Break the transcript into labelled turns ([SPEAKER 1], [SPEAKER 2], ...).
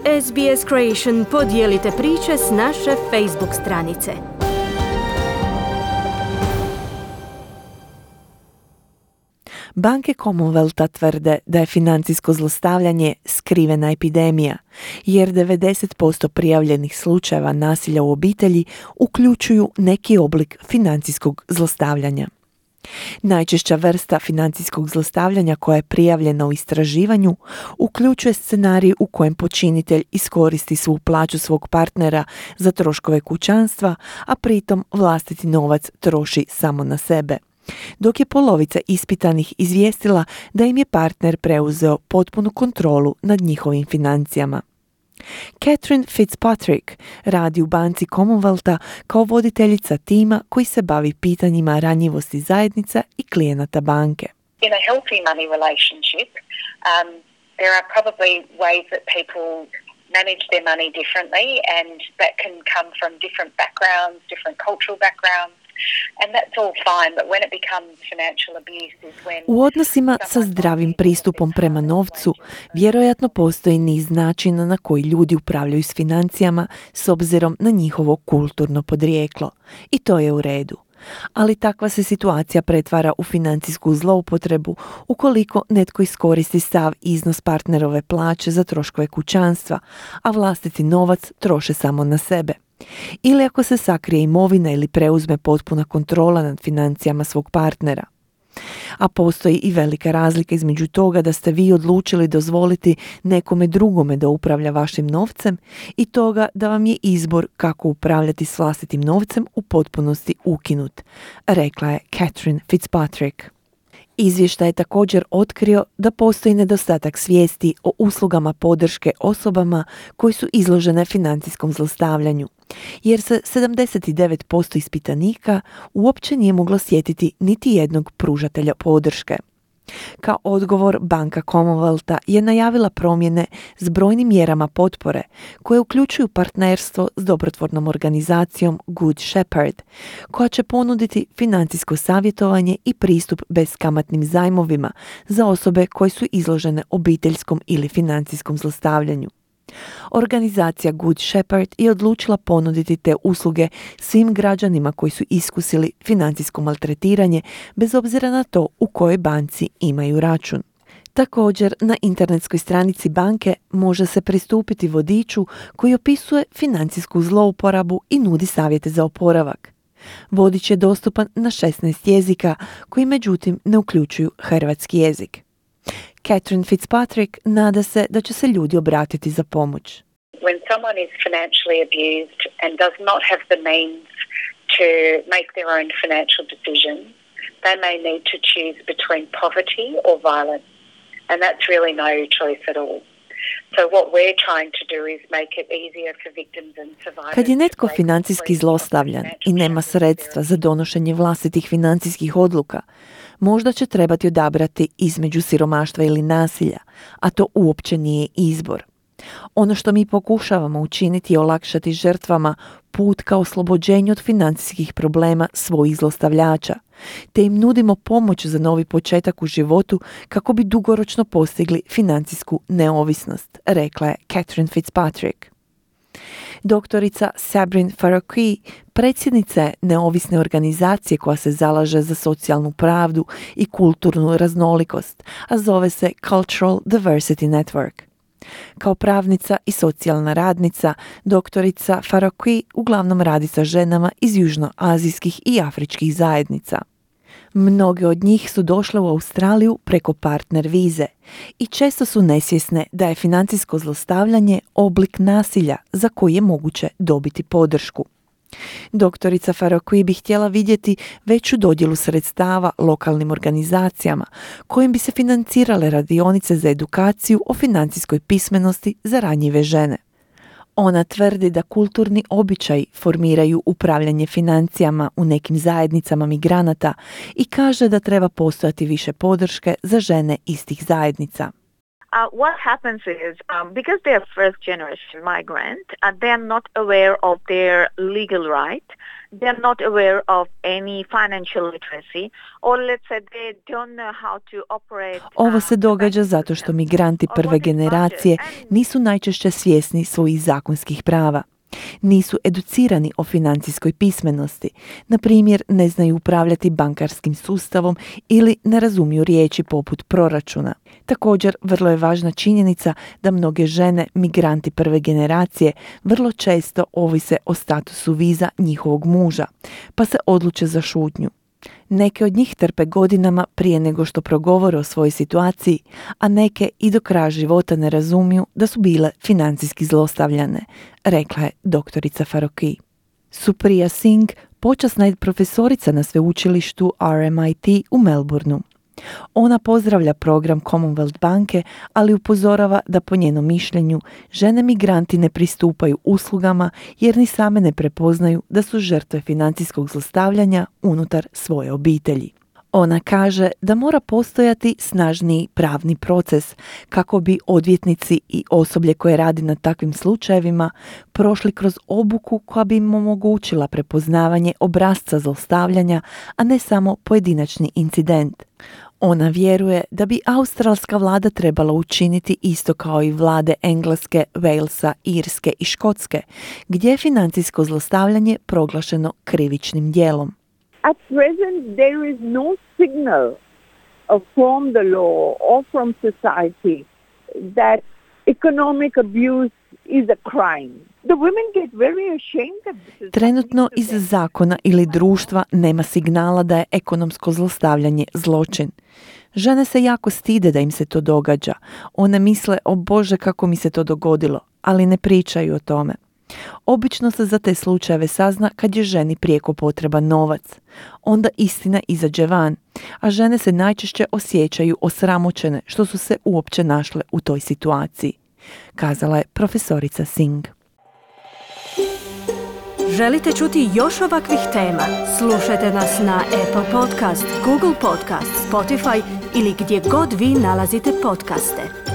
[SPEAKER 1] SBS Creation podijelite priče s naše Facebook stranice.
[SPEAKER 2] Banke Commonwealtha tvrde da je financijsko zlostavljanje skrivena epidemija, jer 90% prijavljenih slučajeva nasilja u obitelji uključuju neki oblik financijskog zlostavljanja. Najčešća vrsta financijskog zlostavljanja koja je prijavljena u istraživanju uključuje scenarij u kojem počinitelj iskoristi svu plaću svog partnera za troškove kućanstva, a pritom vlastiti novac troši samo na sebe. Dok je polovica ispitanih izvijestila da im je partner preuzeo potpunu kontrolu nad njihovim financijama. Catherine Fitzpatrick radi u banci Commonwealtha kao voditeljica tima koji se bavi pitanjima ranjivosti zajednica i klijenata banke.
[SPEAKER 3] In a healthy money relationship, there are probably ways that people manage their money differently, and that can come from different backgrounds, different cultural backgrounds. And that's all fine, but when it becomes financial abuse is when...
[SPEAKER 2] U odnosima sa zdravim pristupom prema novcu vjerojatno postoji niz načina na koji ljudi upravljaju s financijama s obzirom na njihovo kulturno podrijeklo. I to je u redu. Ali takva se situacija pretvara u financijsku zloupotrebu ukoliko netko iskoristi sav iznos partnerove plaće za troškove kućanstva, a vlastiti novac troše samo na sebe. Ili ako se sakrije imovina ili preuzme potpuna kontrola nad financijama svog partnera. A postoji i velika razlika između toga da ste vi odlučili dozvoliti nekome drugome da upravlja vašim novcem i toga da vam je izbor kako upravljati s vlastitim novcem u potpunosti ukinut, rekla je Catherine Fitzpatrick. Izvještaj je također otkrio da postoji nedostatak svijesti o uslugama podrške osobama koji su izložene financijskom zlostavljanju, jer se 79% ispitanika uopće nije moglo sjetiti niti jednog pružatelja podrške. Kao odgovor, banka Commonwealtha je najavila promjene s brojnim mjerama potpore koje uključuju partnerstvo s dobrotvornom organizacijom Good Shepherd, koja će ponuditi financijsko savjetovanje i pristup beskamatnim zajmovima za osobe koje su izložene obiteljskom ili financijskom zlostavljanju. Organizacija Good Shepherd je odlučila ponuditi te usluge svim građanima koji su iskusili financijsko maltretiranje bez obzira na to u kojoj banci imaju račun. Također, na internetskoj stranici banke može se pristupiti vodiču koji opisuje financijsku zlouporabu i nudi savjete za oporavak. Vodič je dostupan na 16 jezika koji međutim ne uključuju hrvatski jezik. Catherine Fitzpatrick nada se da će se ljudi obratiti za pomoć.
[SPEAKER 3] When someone is financially abused and does not have the means to make their own financial decisions, they may need to choose between poverty or violence. And that's really no choice at all. So what we're trying to do is make it easier for victims and survivors.
[SPEAKER 2] Kad je netko financijski zlostavljan i nema sredstva za donošenje vlastitih financijskih odluka, možda će trebati odabrati između siromaštva ili nasilja, a to uopće nije izbor. Ono što mi pokušavamo učiniti je olakšati žrtvama put ka oslobođenju od financijskih problema svojih zlostavljača, te im nudimo pomoć za novi početak u životu kako bi dugoročno postigli financijsku neovisnost, rekla je Catherine Fitzpatrick. Doktorica Sabrine Faruqi, predsjednica je neovisne organizacije koja se zalaže za socijalnu pravdu i kulturnu raznolikost, a zove se Cultural Diversity Network. Kao pravnica i socijalna radnica, doktorica Faruqi uglavnom radi sa ženama iz južnoazijskih i afričkih zajednica. Mnoge od njih su došle u Australiju preko partner vize i često su nesvjesne da je financijsko zlostavljanje oblik nasilja za koji je moguće dobiti podršku. Doktorica Faruqi bi htjela vidjeti veću dodjelu sredstava lokalnim organizacijama kojim bi se financirale radionice za edukaciju o financijskoj pismenosti za ranjive žene. Ona tvrdi da kulturni običaji formiraju upravljanje financijama u nekim zajednicama migranata i kaže da treba postojati više podrške za žene iz tih zajednica.
[SPEAKER 4] What happens is, because they are first generation migrant, they are not aware of their legal right. They are not aware of any financial literacy, or let's say they don't know how to operate.
[SPEAKER 2] Ovo se događa zato što migranti prve generacije nisu najčešće svjesni svojih zakonskih prava. Nisu educirani o financijskoj pismenosti, na primjer ne znaju upravljati bankarskim sustavom ili ne razumiju riječi poput proračuna. Također, vrlo je važna činjenica da mnoge žene, migranti prve generacije, vrlo često ovise o statusu viza njihovog muža, pa se odluče za šutnju. Neke od njih trpe godinama prije nego što progovore o svojoj situaciji, a neke i do kraja života ne razumiju da su bile financijski zlostavljane, rekla je doktorica Faruqi. Supriya Singh, počasna je profesorica na sveučilištu RMIT u Melbourneu. Ona pozdravlja program Commonwealth banke, ali upozorava da po njenom mišljenju žene migranti ne pristupaju uslugama jer ni same ne prepoznaju da su žrtve financijskog zlostavljanja unutar svoje obitelji. Ona kaže da mora postojati snažniji pravni proces kako bi odvjetnici i osoblje koje radi na takvim slučajevima prošli kroz obuku koja bi im omogućila prepoznavanje obrasca zlostavljanja, a ne samo pojedinačni incident. Ona vjeruje da bi australska vlada trebala učiniti isto kao i vlade Engleske, Walesa, Irske i Škotske, gdje je financijsko zlostavljanje proglašeno krivičnim djelom.
[SPEAKER 5] At present, there is no signal from the law or from society that economic abuse is a crime. The women get very ashamed of this.
[SPEAKER 2] Trenutno iz zakona ili društva nema signala da je ekonomsko zlostavljanje zločin. Žene se jako stide da im se to događa. One misle, o Bože, kako mi se to dogodilo, ali ne pričaju o tome. Obično se za te slučajeve sazna kad je ženi prijeko potreban novac. Onda istina izađe van, a žene se najčešće osjećaju osramoćene što su se uopće našle u toj situaciji, kazala je profesorica Singh.
[SPEAKER 1] Želite čuti još ovakvih tema? Slušajte nas na Apple Podcast, Google Podcast, Spotify ili gdje god vi nalazite podcaste.